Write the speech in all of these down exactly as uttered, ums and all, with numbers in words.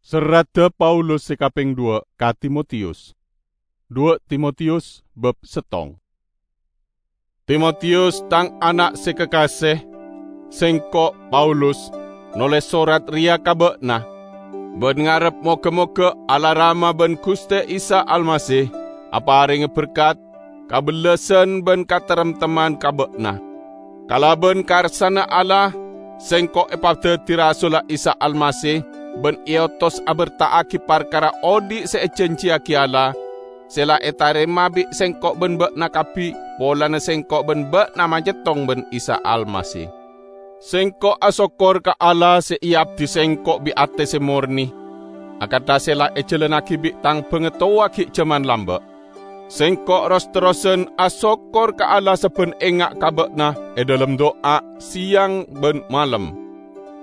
Serradda Paulus se kapeng dhuwa' ka Timotius. Dhuwa' Timotius bab settong. Timotius, tang ana' se kakase, sengko', Paulus, noles sorat reya ka ba'na, ban ngarep moga-moga Allah Rama ban Guste Isa Almasih aparenge berkat, kabellasan ban kataremtemman ka ba'na. Kalaban karsana Allah, sengko' epadaddi rasulla Isa Almasih ban eotos aberta'agi parkara odhi' se ejanjiyagi Allah, se la etarema bi' sengko' ban ba'na kabbi polana sengko' ban ba'na manyettong ban Isa Almasih. Sengko' asokkor ka Allah se eabdi sengko' bi' ate se morne, akantha se la ejalannagi bi' tang bangatowa gi' jaman lamba'. Sengko' ros-terrosan asokkor ka Allah sabban enga' ka ba'na e dhalem du'a seyang ban malem.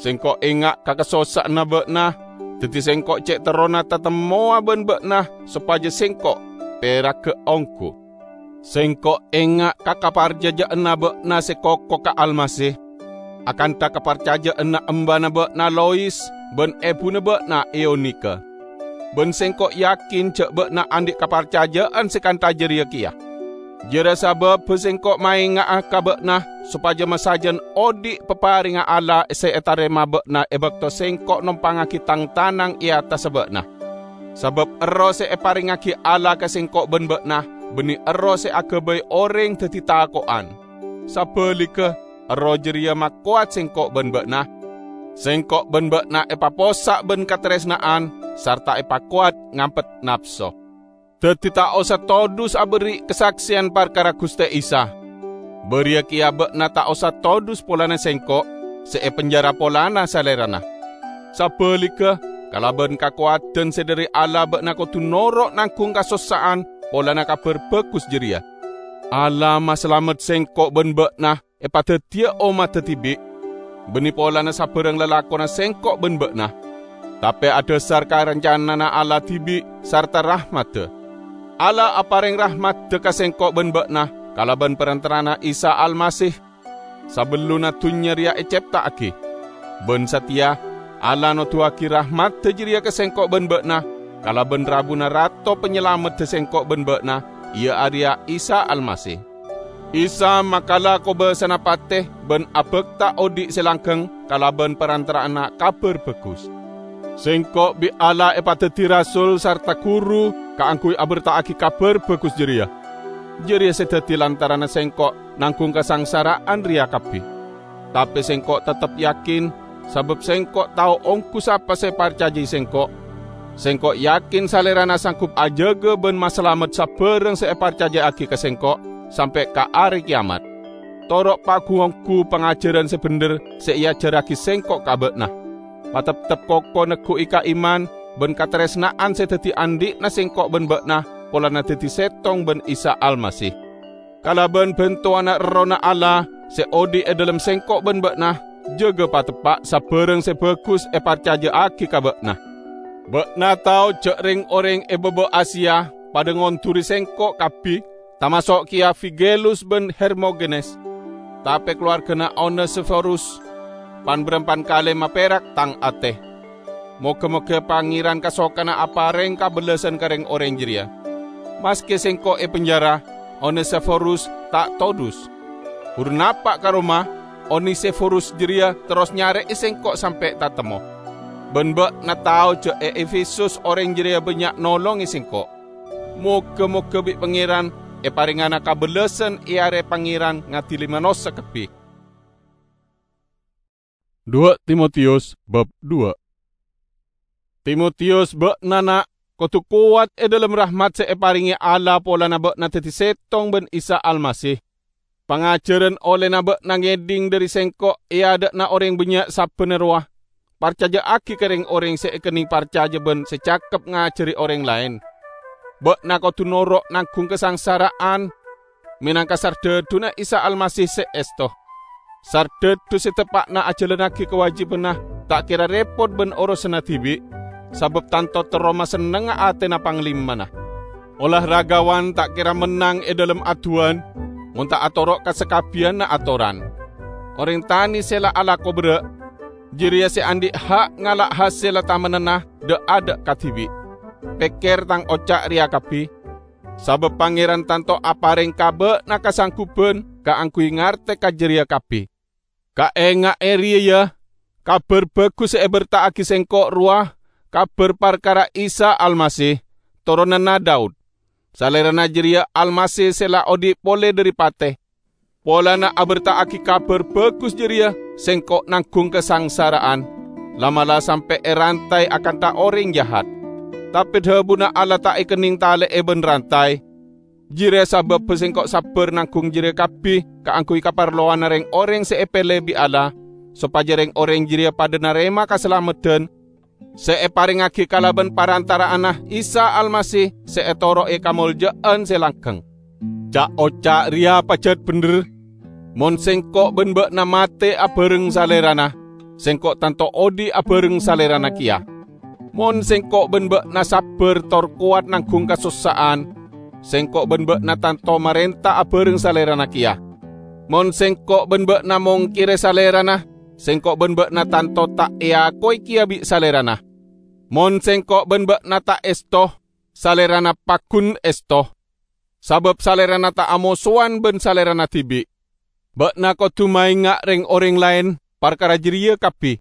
Sengko' enga' ka kasossa'anna ba'na, daddi sengko' ce' terrona tatemmowa ban ba'na sopaja sengko' peragga onggu. Sengko' enga' ka kaparcaja'anna ba'na se koko ka Almasih, akantha kaparcaja'anna embana ba'na Lois ban ebuna ba'na Eunika. Ban sengko' yakin ja' ba'na andhi' kaparcaja'an se kantha jareya keya. Jara sababba sengko' maenga'a ka ba'na sopaja masajan odhi' paparengnga Allah se etarema ba'na e bakto sengko' nompangngagi tang-tanang e attassa ba'na. Sabab Erroh se eparengngagi Allah ka sengko' ban ba'na banne Erroh se agabay oreng daddi tako'an. Sabaligga, Erroh jareya makowat sengko' ban ba'na. Sengko' ban ba'na epapossa' ban kataresna'an sarta epakowat ngampet napso. Daddi ta' osa todus aberri' kasakseyan parkara Guste Isa. Bariya keya ba'na ta' osa todus polana sengko' se epenjara polana Salerana. Sabaligga, kalaban kakowadan se dhari Allah ba'na kodu noro' nanggung kasossa'an polana Kabar Bagus jareya. Allah masalamet sengko' ban ba'na epadaddiya ommadda dibi', banne polana sabarang lalakonna sengko' ban ba'na, tape adhasar ka rancanana Allah dibi' sarta rahmadda. Allah apareng rahmadda ka sengko' ban ba'na kalaban parantara'anna Isa Almasih, sabellunna dunnya reya ecepta'agi. Ban sateya, Allah noduwagi rahmadda jareya ka sengko' ban ba'na kalaban rabuna Rato Panyalamedda sengko' ban ba'na, iya areya Isa Almasih. Isa makala kobasana pate ban abakta odhi' se langgeng kalaban parantara'anna Kabar Bagus. Sengko' bi' Allah epadaddi rasul sarta guru kaangguy aberta'agi Kabar Bagus jareya. Jareya se daddi lantaranna sengko' nanggung kasangsara'an reya kabbi. Tape sengko' teptep yakin, sabab sengko' tao onggu sapa se eparcajai sengko'. Sengko' yakin Salerana sanggup ajaga ban masalamet sabarang se eparcaja'agi ka sengko' sampe' ka are keyamat. Toro' pagu-onggu pangajaran se bendher se eajarragi sengko' ka ba'na. Pateptep koko neggu'i kaiman ban kataresna'an se daddi andhi'na sengko' ban ba'na polana daddi settong ban Isa Almasih. Kalaban bantowanna Errohna Allah se odhi' e dhalem sengko' ban ba'na, jaga pateppa' sabarang se bagus eparcaja'agi ka ba'na. Ba'na tao ja' reng-oreng e baba Asia padha ngonḍuri sengko' kabbi, tamaso' keya Figelus ban Hermogenes. Tape kalowargana Onesiforus pan-barampan kale maperak tang ate. Moga-moga Pangeran kasokana apareng kabellasan ka reng-oreng jareya. Maske sengko' e penjara, Onesiforus ta' todus. Buru napa' ka roma, Onesiforus jareya terros nyare'e sengko' sampe' tatemmo. Ban ba'na tao ja' e Efesus oreng jareya bannya' nolonge sengko'. Moga-moga bi' Pangeran eparengngana kabellasan e are Pangeran ngadili manossa kabbi. Dua Timotius bab dua. Timotius, ba'na, na', kodu kowat e dhalem rahmat se eparenge Allah polana ba'na daddi settong ban Isa Almasih. Pangajaran ollena ba'na ngedhing dhari sengko' e adha'na oreng bannya' sabbhânna rowa. Parcaja'agi ka reng-oreng se ekenneng parcaja ban se cakep ngajari oreng laen. Ba'na kodu noro' nanggung kasangsara'an menangka sardhadhuna Isa Almasih se esto. Sardhadhu se teppa'na ajalannagi kawajibânna ta' kera repot ban orosanna dibi', sabab tanto terro masennengnga atena panglimana. Olaragawan ta' kera mennang e dhalem aduwan, mon ta' atoro' ka sakabbiyanna atoran. Oreng tane se la alako berra', jareya se andhi' ha' ngala' hasella tamennanna dha'-adha' kadibi'. Pekker tang oca' reya kabbi, sabab Pangeran tanto apareng ka ba'na kasangguban kaangguy ngarte ka jareya kabbi. Kaenga'e reya, ya, Kabar Bagus se eberta'agi sengko' rowa, kabar parkara Isa Almasih, toronanna Daud. Salerana jareya Almasih se la odhi' pole dhari pate. Polana aberta'agi Kabar Bagus jareya, sengko' nanggung kasangsara'an, la'-mala' sampe' erantay akantha oreng jahat. Tape dhabuna Allah ta' ekenneng tale'e ban rantay. Jareya sababba sengko' sabbar nanggung jareya kabbi kaangguy kaparlowanna reng-oreng se epele bi' Allah, sopaja reng-oreng jareya padha narema kasalameddan se eparengngagi kalaban parantara'anna Isa Almasih se etoro'e kamolja'an se langgeng. Ca'-oca' reya pajat bendher. Mon sengko' ban ba'na mate abareng Salerana, sengko' tanto odhi' abareng Salerana keya. Mon sengko' ban ba'na sabbar tor kowat nanggung kasossa'an, sengko' ban ba'na tanto marenta abareng Salerana keya. Mon sengko' ban ba'na mongkere Salerana, sengko' ban ba'na tanto ta' eakowe keya bi' Salerana. Mon sengko' ban ba'na ta' esto, Salerana paggun esto, sabab Salerana ta' amosowan ban Salerana dibi'. Ba'na kodu maenga' reng-oreng laen parkara jareya kabbi.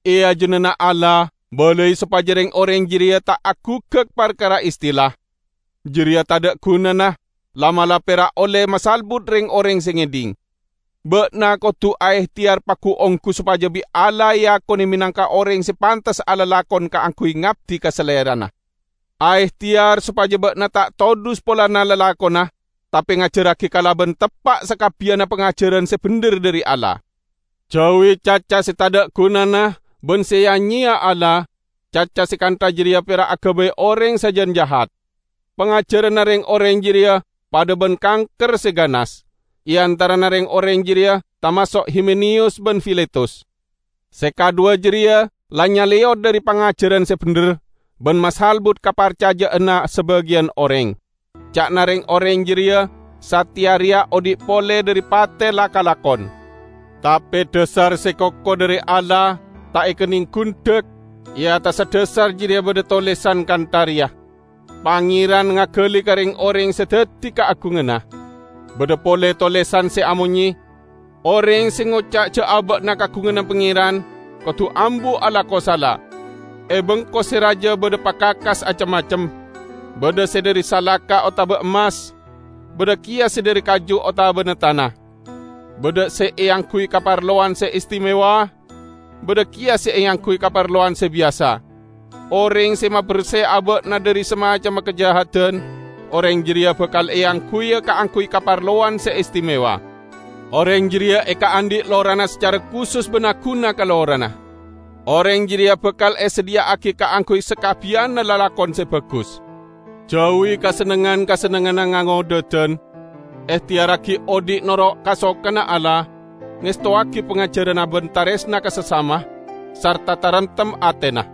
E ajunanna Allah, balai sopaja reng-oreng jareya ta' agugak parkara istila. Jareya tadha' gunana, la'-mala' pera' olle masalbut reng-oreng se ngedhing. Ba'na kodu aehteyar pagu-onggu sopaja bi' Allah eakone menangka oreng se pantes alalakon kaangguy ngabdi ka Salerana. Aehteyar sopaja ba'na ta' todus polana lalakonna, tape ngajarragi kalaban teppa' sakabbiyanna pangajaran se bendher dhari Allah. Jauwi caca se tadha' gunana ban se ya-nyeya Allah, caca se kantha jareya pera' agabay oreng sajan jahat. Pangajaranna reng-oreng jareya padha ban kangker se ganas. E antarana reng-oreng jareya tamaso' Himeneyus ban Filetus. Se kadhuwa jareya la nyaleyot dhari pangajaran se bendher ban masalbut kaparcaja'anna sabagiyan oreng. Ca'na reng-oreng jareya, sateya reya odhi' pole dhari pate la kalakon. Tape dhasar se koko dhari Allah ta' ekenneng gundhak. E attassa dhasar jareya badha tolesan kantha reya, "Pangeran ngagali ka reng-oreng se daddi kaagunganna." Badha pole tolesan se amonye, "Oreng se ngoca' ja' aba'na kaagunganna Pangeran, kodu ambu alako sala. E bengko se raja badha pakakas acem-macem. Badha se dhari salaka otaba emmas, badha keya se dhari kaju otabana tana. Badha se eangguy kaparlowan se istimewa, badha keya se eangguy kaparlowan se biyasa. Oreng se maberse aba'na dhari samacemma kajahadan, oreng jareya bakal eangguya kaangguy kaparlowan se istimewa. Oreng jareya ekaandhi' lorana sacara kusus ban aguna ka lorana. Oreng jareya bakal esadhiya'agi kaangguy sakabbiyanna lalakon se bagus." Jauwi kasennengngan-kasennengnganna ngangodhadan. Ehteyarragi odhi' noro' kasokanna Allah, ngestowagi pangajaranna ban taresna ka sasama, sarta taremtem atena.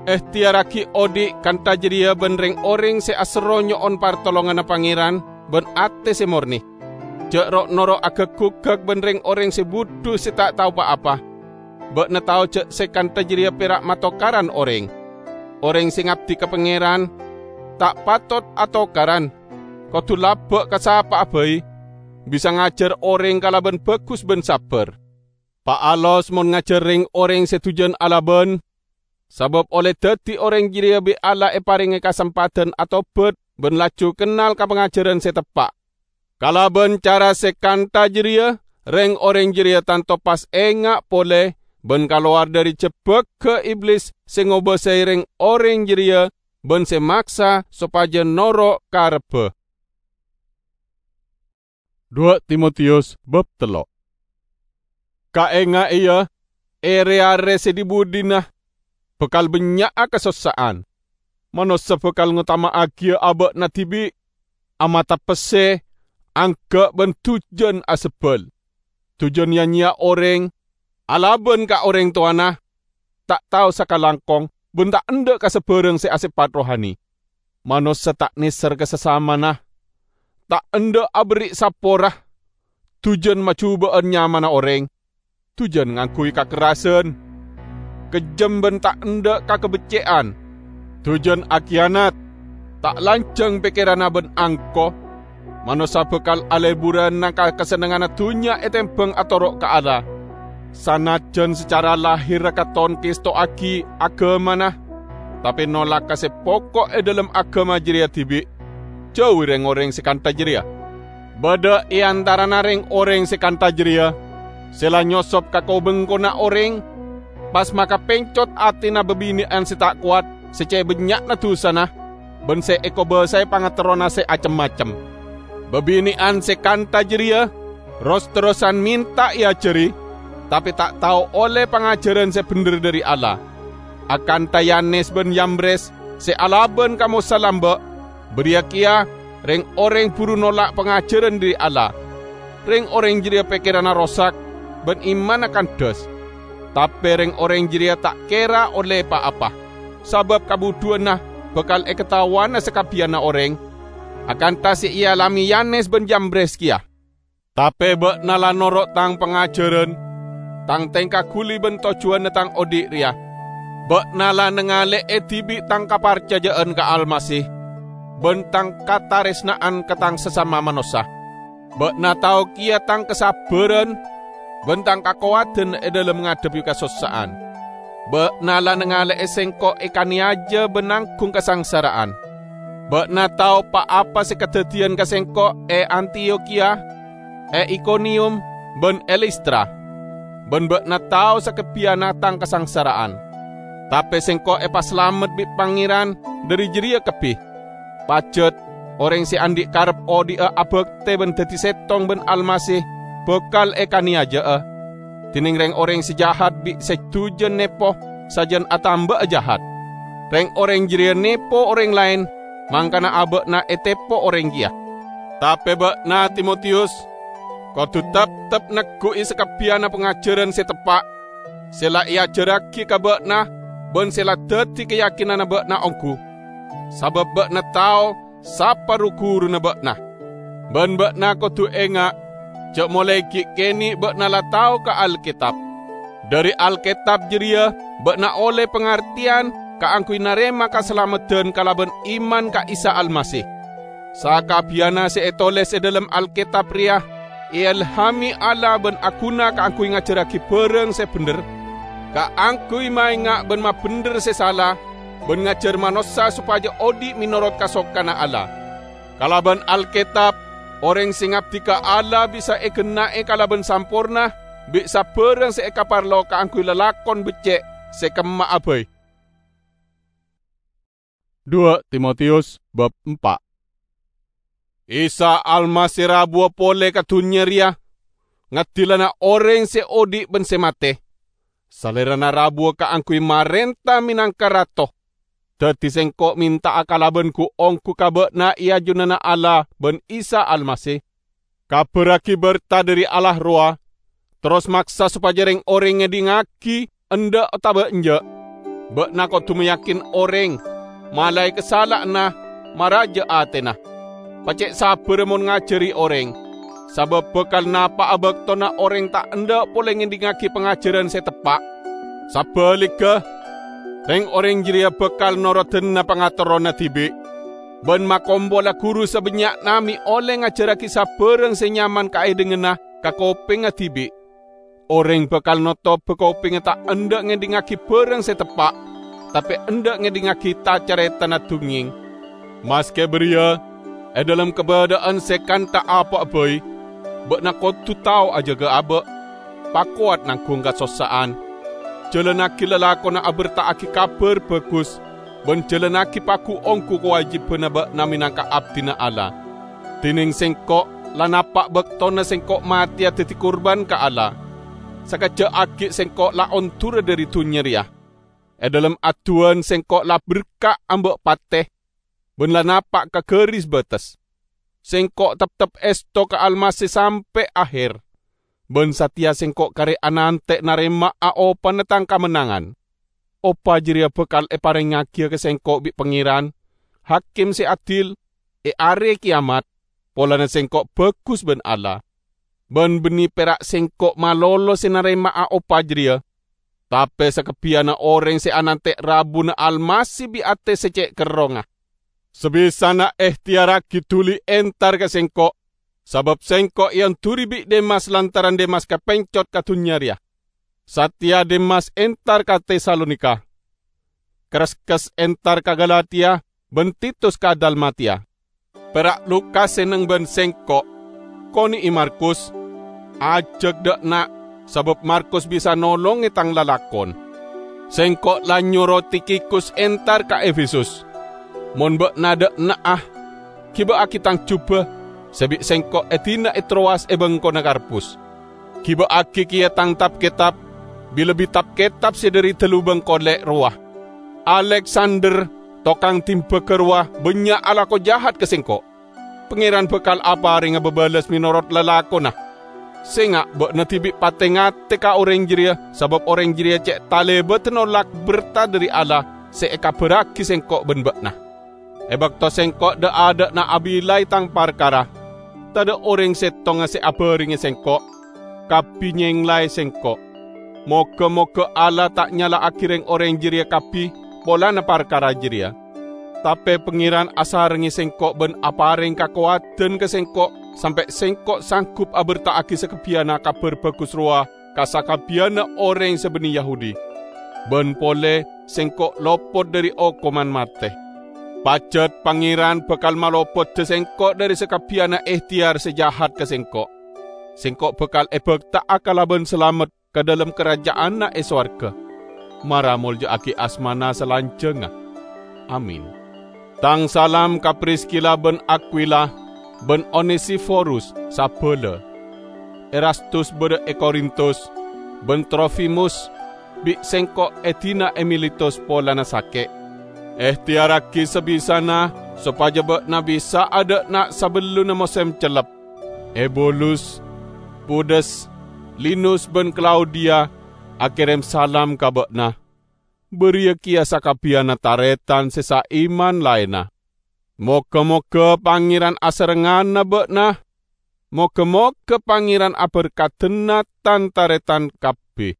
Ehteyarragi odhi' kantha jareya ban reng-oreng se aserro nyo'on partolonganna Pangeran ban ate se morne. Ja' ro'-noro' agag-gugag ban reng-oreng se budhu se ta' tao pa-apa. Ba'na tao ja' se kantha jareya pera' matokaran oreng. Oreng se ngabdi ka Pangeran ta' patot atokaran. Kodu laba' ka sapa'a bai, bisa ngajar oreng kalaban bagus ban sabbar. Paalos mon ngajar reng-oreng se dujan alaban, sabab olle daddi oreng jareya bi' Allah eparenge kasempadhan atobat ban laju kennal ka pangajaran se teppa'. Kalaban cara se kantha jareya, reng-oreng jareya tanto pas enga' pole ban kalowar dhari jebbagga Iblis se ngobasae reng-oreng jareya ban se maksa sopaja noro' karebba. Dua Timotius bab tello'. Kaenga'e, ya, e re-are se dhi-budhina bakal bannya'a kasossa'an. Manossa bakal ngotama'agiya aba'na dibi', amata pesse, angga' ban dujan asebbal. Dujan ya-nyeya oreng, alaban ka oreng towana, ta' tao sakalangkong, ban ta' endha' ka sabbarang se asepat rohani. Manossa ta' neser ka sasamana, ta' endha' aberri' sapora, dujan majuba'an nyamana oreng, dujan ngangguy kakerrasan, kejjhem bân ta' endâ' kakabecce'an, dujan akiyanat, ta' lanjhâng pèkkèranna bân angko. Manossa bhâkal alèburrâna ka kasennengnganna dhunnya ètèmbhâng atoro' ka Allah. Sanajjhân sacara lahèrra katon ngèstowaghi aghâmana, tapè nolak ka sè pokok è dhâlem aghâma jârèya dhibi', jhâuwi rèng-orèng sè kantha jârèya. Bâdâ è antarana rèng-orèng sè kantha jârèya sè la nyosop ka ko-bengkona orèng, pas makapèncot atèna bâbinè'an sè ta' kowat sè cè' bânnya'na dusana, bân sè èkobâsaè pangaterrona sè acem-macem. Bâbinè'an sè kantha jârèya ros-terrosan mènta èajhâri, tapè ta' tao ollè pangajhârân sè bhendher dhâri Allah. Akantha Yanes bân Yambres sè alabân ka Mosa lambâ', bâriyâ kèya rèng-orèng buru nolak pangajhârân dhâri Allah. Rèng-orèng jârèya pèkkèranna rosak bân imanna kandhâs. Tapè rèng-orèng jârèya ta' kèra ollè pa-apa, sabâb kabhudhuwânna bhâkal èkataowana sakabbhiyânna orèng, akantha sè èalamè Yanes bân Yambres kèya. Tapè bâ'na la noro' tang pangajhârân, tang tèngka ghuli bân tojjhuwânna tang odi' rèya. Bâ'na la nangalè'è dhibi' tang kaparcajâ'ân ka Almasih, bân tang katarèsna'an ka tang sasama manossa. Bâ'na tao kèya tang kasabbhârân bân tang kakowadhân è dhâlem ngadhebbhi kasossa'an. Bâ'na la nangalè'è sèngko' èkanèyaja bân nangghung kasangsara'an. Bâ'na tao pa-apa sè kadhâddhiyân ka sèngko' è Antiyokhiya, è Ikoniyum, bân è Listra. Bân bâ'na tao sakabbhiyânna tang kasangsara'an. Tapè sèngko' èpasalamet bi' Pangèran dhâri jârèya kabbhi. Pajhât, orèng sè andi' karep odi'â abhâktè bân dhâddhi sèttong bân Almasih bhâkal èkanèyaja'a. Dhinèng rèng-orèng sè jahat bi' sè dujan nèpo sajân atamba'a jahat. Rèng-orèng jârèya nèpo orèng laèn, mangkana abâ'na ètèpo orèng kèya. Tapè bâ'na, Timotiyus, kodhu teptep negghu'i sakabbhiyânna pangajhârân sè teppa', sè la èajhârraghi ka bâ'na bân sè la dhâddhi kayakinanna bâ'na ongghu, sabâb bâ'na tao sapa ru-ghuruna bâ'na. Bân bâ'na kodhu enga' jhâ' molaè ghi' kènè' bâ'na la tao ka Alkètab. Dhâri Alkètab jârèya bâ'na ollè pangartèyan kaangghuy narèma kasalameddhân kalabân iman ka Isa Almasih. Sakabbhiyânna sè ètolès è dhâlem Alkètab rèya èèlhamè Allah bân aghuna kaangghuy ngajhârraghi bhârâng sè bhendher, kaangghuy maènga' bân mabhendher sè sala, bân ngajhâr manossa sopajâ odi' mènorot kasokanna Allah. Kalabân Alkètab, orèng sè ngabdi ka Allah bisa èghenna'è kalabân samporna bi' sabhârâng sè èkaparlo kaangghuy lalakon beccè' sè kemma'a bhâi. Dua Timotiyus bab empa'. Isa Almasih rabuwa polè ka dhunnya rèya, ngadilana orèng sè odi' bân sè matè. Salèrana rabuwa kaangghuy marènta mènangka Rato. Dhâddhi sèngko' mènta'a kalabân gu-onggu ka bâ'na è ajunanna Allah bân Isa Almasih. Kabhârraghi bhârta dhâri Allah rowa, terros maksa sopajâ rèng-orèng ngèdingngaghi endâ' otabâ enjâ'. Bâ'na kodhu mayakin orèng, malaè kasala'anna, maraja atèna. Pacè' sabbhârrâ mon ngajhâri orèng, sabâb bhâkal napa'a bâktona orèng ta' endâ' polè ngèdingngaghi pangajhârân sè teppa'. Sabhâligghâ, rèng-orèng jârèya bhâkal norodhâna pangaterrona dhibi', bân makompola ghuru sabânnya'na mè' ollè ngajhârraghi sabbhârâng sè nyaman kaèdhinganna ka kopèngnga dhibi'. Orèng bhâkal notobhâ kopèngnga ta' endâ' ngèdingngaghi bhârâng sè teppa', tapè endâ' ngèdingngaghi ta-carètana dhungngèng. Maskè bâriyâ, è dhâlem kabâdâ'ân sè kantha apa'a bhâi, bâ'na kodhu tao ajâgâ abâ', pakowat nangghung kasossa'an. Jhâlânnaghi lalakonna abherta'aghi Kabhâr Bhâghus, bân jhâlânnaghi pagu-ongghu kawâjibhânna bâ'na mènangka abdhina Allah. Dhinèng sèngko' la napa' bâktona sèngko' matèya dhâddhi kurban ka Allah. Sakejjhâ' aghi' sèngko' la ondhurâ dhâri dhunnya rèya. È dhâlem adduwân sèngko' la berka' amba' patè, bân la napa' ka ghâris bâtes. Sèngko' teptep èsto ka Almasih sampè' ahèr, bân satèya sèngko' karè anantè' narèma'a opana tang kamennangan. Opa jârèya bhâkal èparèngngagiyâ ka sèngko' bi' Pangèran, Hakim sè adil, è arè kèyamat, polana sèngko' bhâghus bân Allah. Bân bânnè pèra' sèngko' malolo sè narèma'a opa jârèya, tape sakabbiyanna oreng se anante' rabuna Almasih bi' ate se ce' kerrongnga. Sabisana ehteyarragi duli entar ka sengko', sabab sengko' eonduri bi' Demas lantaran Demas kapencot ka dunnya reya. Sateya Demas entar ka Tesalonika. Kreskes entar ka Galatia, ban Titus ka Dalmatia. Pera' Lukas se neng ban sengko'. Kone'e Markus. Ajak dha' enna', sabab Markus bisa nolonge tang lalakon. Sengko' la nyoro Tikhikus entar ka Efesus. Mon ba'na dha' enna'a, giba'agi tang jubah se bi' sengko' edina e Trowas e bengkona Karpus. Giba'agi keya tang tap-ketab, bi-lebbi tap-ketab se dhari dalubang kole' rowa. Aleksander, tokang dimbaga rowa, bannya' alako jahat ka sengko'. Pangeran bakal aparenga babalas menorot lalakonna. Senga' ba'na dibi' pate-ngate ka oreng jareya, sabab oreng jareya ce' talebada nolak berta dhari Allah se ekabarragi sengko' ban ba'na. E bakto sengko' dha'-adha'na abilai tang parkara, tadha' oreng settonga se abarenge sengko'. Kabbi nyenglae sengko'. Moga-moga Allah ta' nyala'agi reng-oreng jareya kabbi polana parkara jareya. Tape Pangeran asarenge sengko' ban apareng kakowadan ka sengko' sampe' sengko' sanggup aberta'agi sakabbiyanna Kabar Bagus rowa ka sakabbiyanna oreng se banne Yahudi. Ban pole sengko' lopot dhari okoman mate. Pajat Pangeran bakal malopodda sengko' dhari sakabbiyanna ehteyar se jahat ka sengko'. Sengko' bakal ebakta'a kalaban salamet ka dhalem karaja'anna e sowarga. Mara molja'agi asmana salanjangnga. Amin. Tang salam ka Priskila ban Akwila, ban Onesiforus sabala. Erastus badha e Korintus, ban Trofimus bi' sengko' edina e Miletus polana sake'. Ehteyarragi sabisana sopaja ba'na bisa adha'na sabellunna mosem cellep. Ebulus, Pudes, Linus ban Klaudia akerem salam ka ba'na. Bariya keya sakabbiyanna taretan se saiman laenna. Moga-moga Pangeran asarengngana ba'na. Moga-moga Pangeran aberkadana tan-taretan kabbi.